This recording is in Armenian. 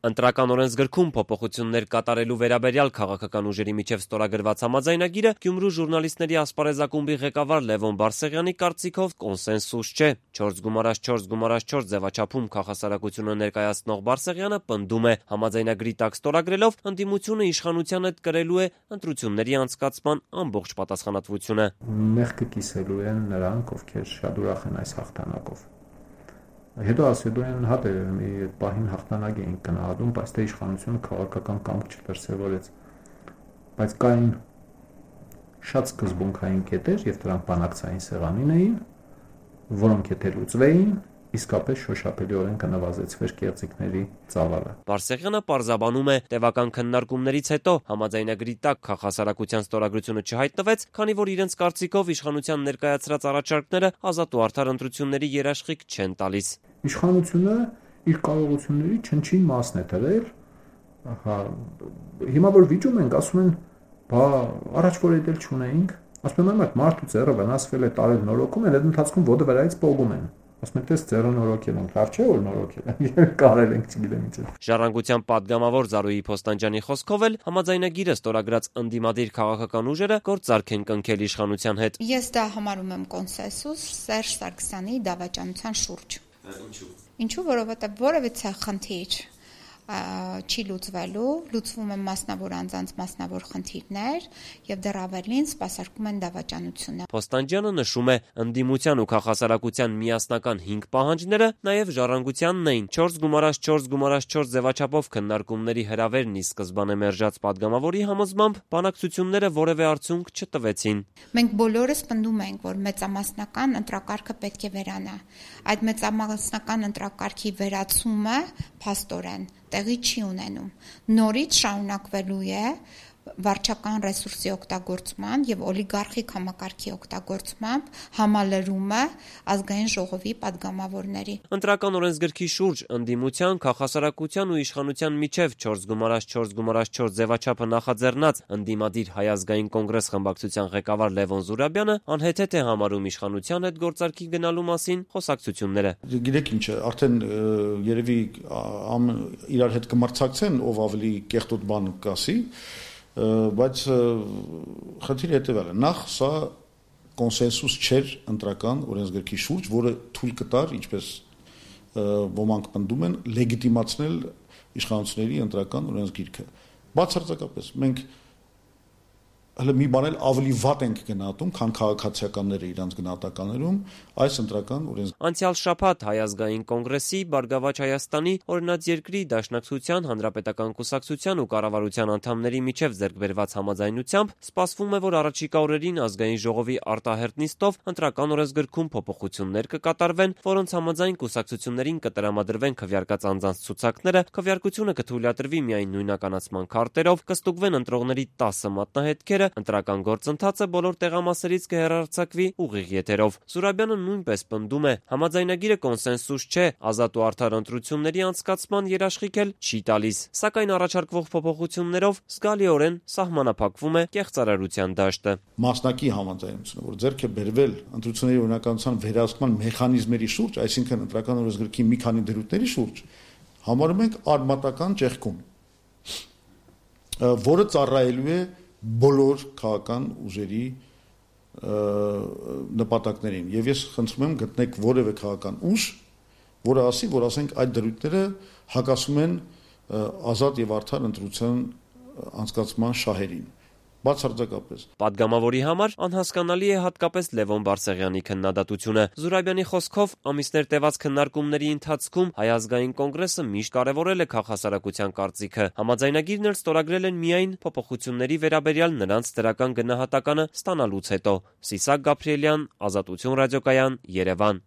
Ընտրական օրենսգրքում փոփոխություններ կատարելու վերաբերյալ քաղաքական ուժերի միջև ստորագրված համաձայնագիրը Գյումրու ժուրնալիստների ասպարեզակումբի ղեկավար Լևոն Բարսեղյանի կարծիքով կոնսենսուս չէ։ 4x4x4 ձևաչափում քաղաքասարակությունը ներկայացնող Բարսեղյանը պնդում է, համաձայնագրի տակ ստորագրելով ընդդիմությունը իշխանության հետ կրելու է ընտրությունների անցկացման ամբողջ պատասխանատվությունը։ Մեղքը կիսելու են նրանք, ովքեր շատ ուրախ են այս հաղթանակով։ Հետո ասելու են, հա մի պահին հաղթանակ էին գնահատում, բայց թե իշխանությունը քաղաքական կամք չդրսևորեց։ Բայց կային շատ սկզբունքային կետեր եւ դրանք բանակցային սեղանին էին, որոնք եթե լուծվեին, իսկապես շոշափելիորեն կնվազեցվեր կեղծիքների ծավալը։ Բարսեղյանը պարզաբանում է, տևական քննարկումներից հետո համաձայնագրի տակ քաղաքասարակության ստորագրությունը չհայտնվեց, քանի որ իրենց կարծիքով իշխանության ներկայացրած առաջարկները ազատ ու արդար ընտրությունների երաշխիք չեն տալիս։ Իշխանությունը իր կարողությունների չնչին մասն է դրել, հիմա որ վիճում ենք, ասում են, բա առաջ որ էդել չունեինք, ասում են, այդ մարդու ձեռը վնասվել է, տարել նորոգում են, այդ ընթացքում ոտը վրայից պողում են։ Ասում են, տես ձեռը նորոգել են, լավ չէ որ նորոգել են, կարել ենք չգիտեմ ինչ։ Ժառանգության պատգամավոր Զարուհի Փոստանջյանի խոսքով էլ համաձայնագիրը ստորագրած ընդդիմադիր քաղաքական ուժերը գործարք են կնքել իշխանության հետ։ Ես դա համարում եմ կոնսենսուս Սերժ Սարգսյանի դավաճանության շուրջ։ Ինչու, որովհետև որևիցե խնդիր չի լուծվելու, լուծվում են մասնավոր անձանց մասնավոր խնդիրներ եւ դեռ ավելին սպասարկում են դավաճանությունը։ Փոստանջյանը նշում է, ընդդիմության ու քաղաքասարակության միասնական 5 պահանջները նաեւ ժառանգությանն էին։ 4x4x4 ձևաչափով քննարկումների հրավերն ի սկզբանե մերժած պատգամավորի համոզմամբ բանակցությունները որևէ արդյունք չտվեցին։ Մենք բոլորս պնդում ենք, որ մեծամասնական ընտրակարգը պետք է վերանա։ Այդ մեծամասնական ընտրակարգի վերացումը փաստորեն տեղի չի ունենում։ Նորից շարունակվելու է վարչական ռեսուրսի օգտագործման եւ օլիգարխիկ համակարգի օգտագործմամբ համալրումը ազգային ժողովի падգամավորների։ Ընտրական օրենսգրքի շուրջ ընդդիմության, քաղաքասարակության ու իշխանության միջև 4x4x4 ձևաչափը նախաձեռնած ընդդիմադիր Հայ ազգային կոնգրես խմբակցության ղեկավար Լևոն Զուրաբյանը անհեթեթ է համարում իշխանության հետ գործարքի գնալու մասին խոսակցությունները։ Գիտեք ինչ է, արդեն երևի իրար հետ կմրցակցեն, ով ավելի կեղտոտ բան կասի, բայց խնդիրը հետևյալն է, նախ սա կոնսենսուս չէր ընտրական օրենսգրքի շուրջ, որը թույլ կտար, ինչպես ոմանք պնդում են, լեգիտիմացնել իշխանությունների ընտրական օրենսգիրքը։ Բացարձակապես մենք հələ մի բան էլ ավելի վատ ենք գնահատում, քան քաղաքացիականները իրանց գնահատականներում այս ընտրական օրենսգիրքը։ Անցյալ շաբաթ Հայ ազգային կոնգրեսի, Բարգավաճ Հայաստանի, Օրինաց երկրի, Դաշնակցության, Հանրապետական կուսակցության ու կառավարության անդամների միջև ձեռքբերված համաձայնությամբ սպասվում է, որ առաջիկա օրերին ազգային ժողովի արտահերթ նիստով ընտրական օրենսգրքում փոփոխություններ կկատարվեն, որոնց համաձայն կուսակցություններին կտրամադրվեն քվեարկած անձանց ցուցակները, քվեարկությունը կթույլատրվի միայն նույնականացման քարտերով, կստուգվեն ընտրողների 10 մատնահետքերը, ընտրական գործընթացը բոլոր տեղամասերից կհեռարձակվի ուղիղ եթերով։ Զուրաբյանը նույնպես պնդում է, համաձայնագիրը կոնսենսուս չէ, ազատ ու արդար ընտրությունների անցկացման երաշխիք էլ չի տալիս, սակայն առաջարկվող փոփոխություններով զգալիորեն սահմանափակվում է կեղծարարության դաշտը։ Մասնակի համաձայնությունը, որ ձեռք է բերվել ընտրությունների օրինականության վերահսկման մեխանիզմերի շուրջ, այսինքն ընտրական օրենսգրքի մի քանի դրույթների շուրջ, համարում ենք արմատական ճեղքում, որը ծառայելու է բոլոր քաղաքական ուժերի նպատակներին եւ ես խնդրում եմ գտնեք որևէ քաղաքական ուժ, որը ասի, որ ասենք այդ դրույթները հակասում են ազատ եւ արդար ընտրության անցկացման շահերին։ Բացարձակապես։ Պատգամավորի համար անհասկանալի է հատկապես Լևոն Բարսեղյանի քննադատությունը։ Զուրաբյանի խոսքով ամիսներ տևած քննարկումների ընթացքում Հայ ազգային կոնգրեսը միշտ կարևորել է քաղաքասարակության կարծիքը։ Համաձայնագիրն էլ ստորագրել են միայն փոփոխությունների վերաբերյալ նրանց դրական գնահատականը ստանալուց հետո։ Սիսակ Գաբրիելյան, Ազատություն ռադիոկայան, Երևան։